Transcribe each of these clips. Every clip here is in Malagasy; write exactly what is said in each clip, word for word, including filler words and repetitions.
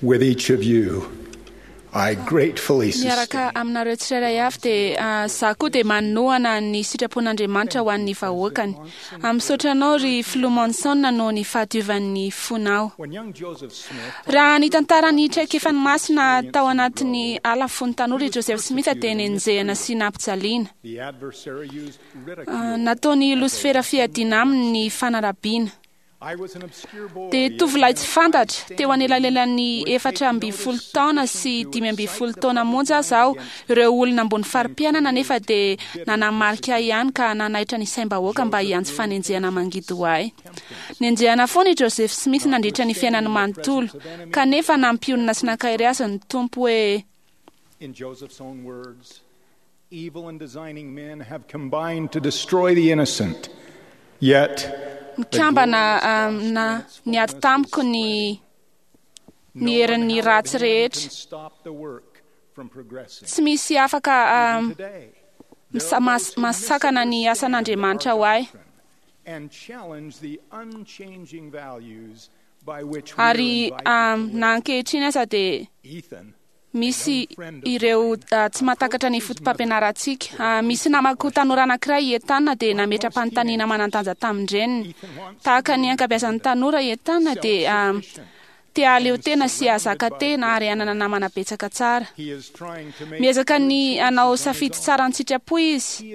With each of you, I gratefully Miaraka aminareo tsirairay avy dia za koa dia manohana ny sitrapon'Andriamanitra ho an'ny vahoakany. Misaotra anao ry Filoha Monson noho ny fahadiovan'ny fonao. Raha nitantara ny traikefan'ny masina tao anatin'ny ala fony tanora i Joseph Smith dia nenjehina sy nampijaliana. Nataony losifera fiadiana aminy ny fanarabiana. Dia tovolahy tsy fantatra teo anelanelan'ny efatra amby folo taona sy dimy amby folo taona monja aza aho. Ireo olona ambony fari-piainana nefa dia nanamarika ihany ka nanaitra ny saim-bahoaka mba hiantso fanenjehana mangidy ho ahy. Nenjehana foana i Joseph Smith nandritra ny fiainany manontolo, kanefa nampionona sy nankahery azy ny Tompo hoe: In Joseph's own words, evil and designing men have combined to destroy the innocent. Yet Mikambana na niady tamiko ny ny herin'ny ratsy rehetra. Tsy misy afaka masakana ny asan'Andriamanitra ho ahy. Ary na ankehitriny aza dia misy ireo tsy mahatakatra ny foto-pampianarantsika. Misy namako tanora anankiray i Etana dia nametra-panontaniana manan-danja tamin-dreniny. Tahaka ny ankabeazan'ny tanora i Etana dia te hahaleo tena sy hahazaka tena ary hanana namana betsaka tsara. Miezaka ny hanao safidy tsara an-tsitrapo izy.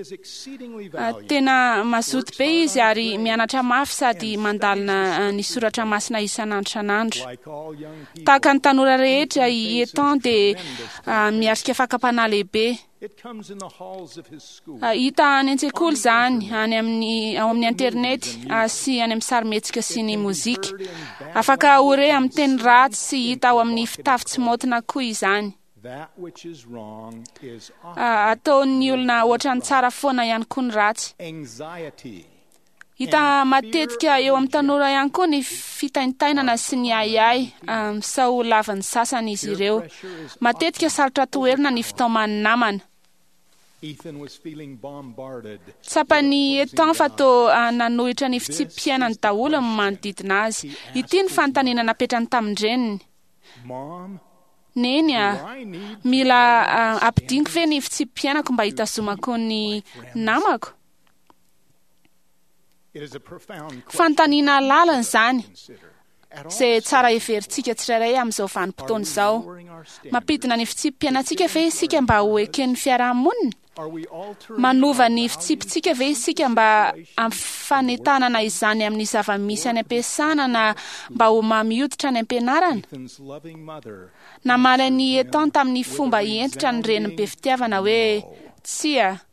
Tena mazoto be izy ary mianatra mafy sady mandalina ny soratra masina isan'andro isan'andro. Tahaka ny tanora rehetra i Ethan dia miatrika fakam-panahy lehibe. Hita any an-tsekoly izany, any amin'ny ao amin'ny internet sy any amin'ny sarimihetsika sy ny mozika. Afaka ho re amin'ny teny ratsy sy hita ao amin'ny fitafy tsy maotina koa izany. Ataon'ny olona ohatran'ny tsara foana ihany koa ny ratsy. Hita matetika eo amin'ny tanora ihany koa ny fitaintainana sy ny ahiahy sao lavan'ny sasany izy ireo. Matetika sarotra toherina ny fitaoman'ny namana. Tsapan'i Ethan fa toa nanohitra ny fitsipi-piainany daholo ny manodidina azy. Ity ny fanontaniana napetrany tamin-dreniny: Neny a, mila ampidiniko ve ny fitsipi-piainako mba hitazomako ny namako? Fanontaniana lalina izany, izay tsara heverintsika tsirairay amin'izao vanim-potoana izao. Mampidina ny fitsipi-piainantsika ve isika mba ho eken'ny fiarahamonina? Manova ny fitsipitsika ve isika mba hampifanentanana izany amin'ny zava-misy any am-piasana na mba ho mamy hoditra any am-pianarana? Namaly an'i Ethan tamin'ny fomba hentitra ny reniny be fitiavana hoe: Tsia.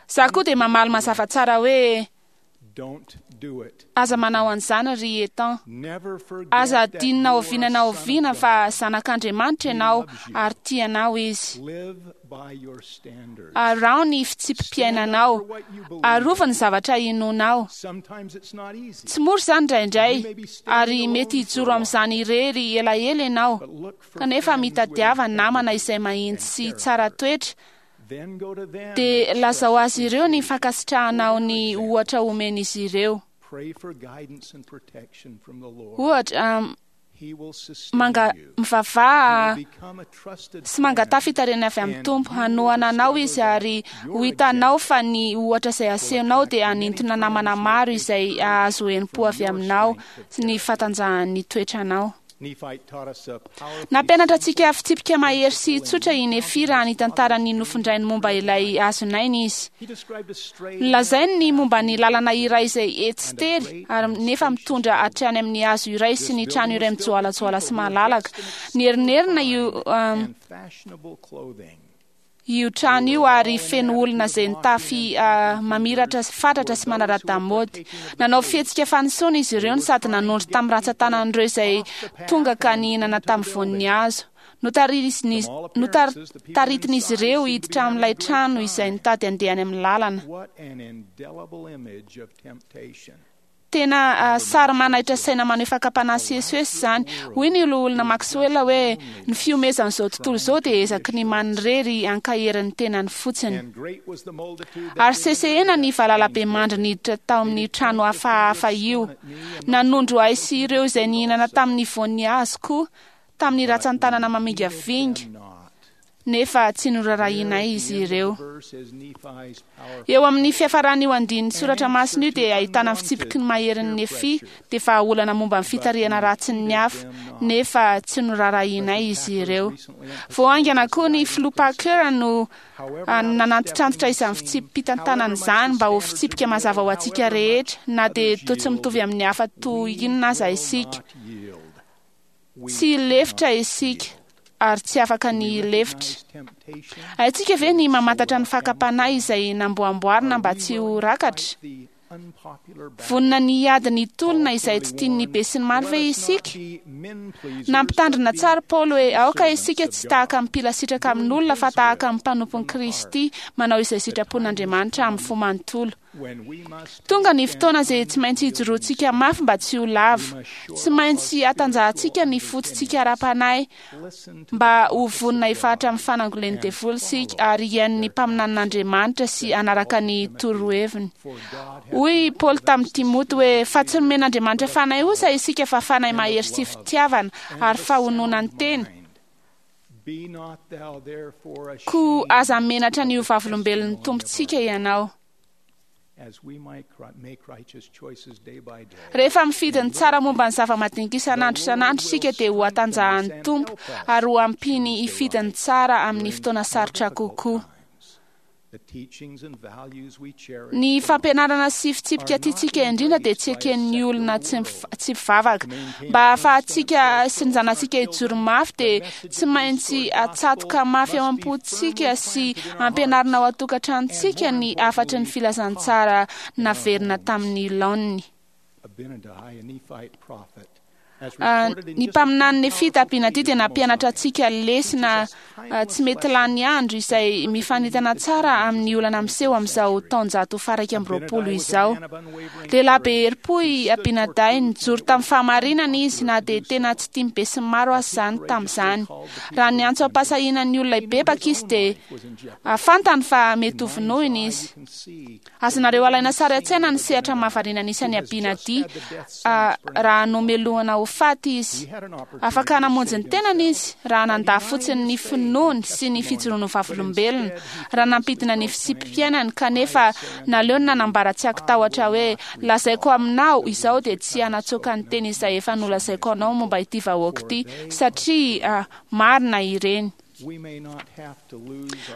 Za koa dia mamaly mazava tsara hoe: Aza manao an'izany ry Ethan. Aza adinona oviana na oviana fa zanak'Andriamanitra ianao ary tia anao izy. Araho ny fitsipi-piainanao. Arovy ny zavatra inoanao. Tsy mora izany indraindray ary mety hijoro amin'izany irery elaela ianao, kanefa mitadiava namana izay mahitsy sy tsara toetra. Dia lazao azy ireo ny fankasitrahanao ny ohatra omen'izy ireo. Ohatra, manga mivavaha sy mangataha fitarihana avy amin'ny Tompo hanohana anao izy, ary ho hitanao fa ny ohatra izay asehonao dia hanintona namana maro izay hahazo herim-po avy aminao sy ny fahatanjahan'ny toetranao. Nampianatra antsika fitsipika mahery sy tsotra i Nefy raha nitantara ny nofin-drainy momba ilay hazonaina izy. Nolazainy ny momba ny lalana iray izay etsy tery ary nefa mitondra hatrany amin'ny hazo iray sy ny trano iray mijoalajoala sy malalaka. Nierinerina io io trano io ary feno olona izay nitafy mamiratra fatratra sy manara-damaody. Nanao fihetsika fanisoana izy ireo sady nanondro tamin'ny rantsan-tanan'ireo izay tonga ka nihinana tamin'ny voan'ny hazo. Notaritin'izy ireo hiditra amin'ilay trano izay nitady handeha any amin'ny lalana. Tena sary manaitra saina maneho fakam-panahy sy esoeso izany. Hoy ny loholona Maxwell hoe ny fihomezan'izao tontolo izao dia ezaky ny manirery ankahery ny tenany fotsiny. Ary sesehena ny valalabemandry niditra tao amin'ny trano hafahafa io. Nanondro ahy sy ireo izay nihinana tamin'ny voan'ny hazo koa tamin'ny ratsan-tanana mamingavinga, nefa tsy norarahinay izy ireo. Eo amin'ny fiafaran'io andininy soratra masina io dia ahitana ny fitsipiky ny maherin'ny Nefia, dia vahaolana momba ny fitarihana ratsin'ny hafa, nefa tsy norarahinay izy ireo. Vao haingana koa ny filoha Parker no nanantitrantitra izany fitsipi-pitantanana izany mba ho fitsipika mazava ho antsika rehetra, na dia toa tsy mitovy amin'ny hafa toy inona aza isika. Tsy lefitra isika ary tsy afaka ny lefitra. Haintsika ve ny mamantatra ny fakam-panahy izay namboamboarina mba tsy ho rakatra? Vonona ny hiady ny tolona izay tsy tian'ny besinimaro ve isika? Nampitandrina tsara Paoly hoe aoka isika tsy tahaka ny mpila sitraka amin'olona fa tahaka ny mpanompon'i Kristy manao izay sitrapon'Andriamanitra amin'ny fo manontolo. Tonga ny fotoana izay tsy maintsy hijoroantsika mafy mba tsy ho lavo. Tsy maintsy hatanjahantsika ny fototsika ara-panahy mba ho vonona hifahatra amin'ny fanangolen'ny devoly isika ary hihaino ny mpaminanin'Andriamanitra sy hanaraka ny toroheviny. Hoy Paoly tamin'i Timoty hoe fa tsy nomen'Andriamanitra fanahy osa isika fa fanahy mahery sy fitiavana ary fahononany tena. Koa aza menatra ny ho vavolombelon'ny Tompontsika ianao. Rehefa mifidy ny tsara momba ny zava-madinika isan'andro isan'andro isika dia ho hatanjahan'ny Tompo ary ho ampiany hifidy ny tsara amin'ny fotoana sarotra kokoa. Ny fampianarana sy fitsipika tiantsika indrindra dia tsy eken'ny olona tsy mpivavaka. Mba hahafahantsika sy ny zanatsika hijoro mafy dia tsy maintsy atsatoka mafy ao am-pontsika sy ampianarina ao an-tokantranontsika ny hafatry ny filazantsara naverina tamin'ny laoniny. Ny mpaminany Nefita Abinadi dia nampianatra antsika lesona tsy mety lany andro izay mifanentana tsara amin'ny olana miseho amin'izao taonjato faha-iraika amby roapolo izao. Lehilahy be herim-po i Abinadi, nijoro tamin'ny fahamarinana izy na dia tena tsy tian'ny besinimaro aza izany tamin'izany. Raha niantso am-pahasahiana ny olona hibebaka izy dia fantany fa mety ho vonoina izy. Azonareo alaina sary an-tsaina ny sehatra mahavariana nisy an'i Abinadi raha nomelohana ho faty izy. Afaka namonjy ny tenany izy raha nandà fotsiny ny finoany sy ny fijoroany ho vavolombelona, raha nampidina ny fitsipi-piainany, kanefa naleony nanambara tsy ankitahotra hoe lazaiko aminao izao dia tsy hanatsoaka ny teny izay efa nolazaiko anao momba ity vahoaka ity, satria marina ireny.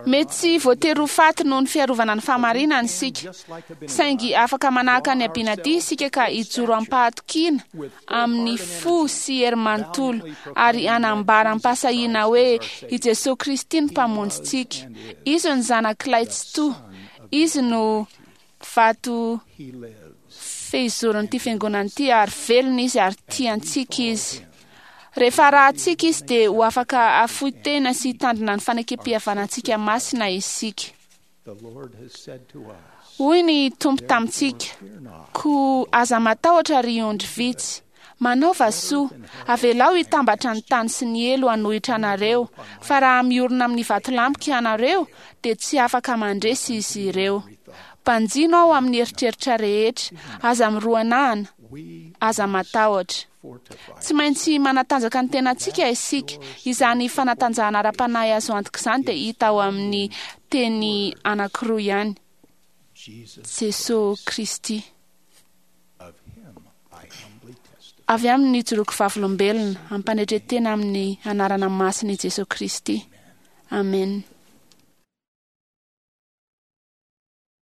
Mety tsy voatery ho faty noho ny fiarovana ny fahamarinana isika, saingy afaka manahaka ny Abinadi isika ka hijoro am-pahatokiana amin'ny fo sy hery manontolo ary hanambara am-pahasahiana hoe i Jesoa Kristy no mpamonjintsika. Izy no zanak'ilay Tsitoha, izy no vato fehizoron'ity fiangonana ity ary velona izy ary tia antsika izy. Rehefa arahantsika izy dia ho afaka hafoy tena sy hitandrina ny fanekem-pihavanantsika masina isika. Hoy ny Tompo tamintsika, koa aza matahotra ry ondry vitsy, manaova soa, avelao hitambatra ny tany sy ny helo hanohitra anareo, fa raha miorina amin'ny vatolampika ianareo dia tsy afaka mandresy izy ireo. Banjino aho amin'ny eritreritra rehetra, aza miroanahana, aza matahotra. Tsy maintsy manatanjaka ny tenantsika isika. Izany fanatanjahana ara-panahy azo antoka izany dia hita ao amin'ny teny anankiroa ihany, Jesoa Kristy. Avy amin'ny nijoroako vavolombelona, ampanetren-tena amin'ny anarana masina i Jesoa Kristy. Amen.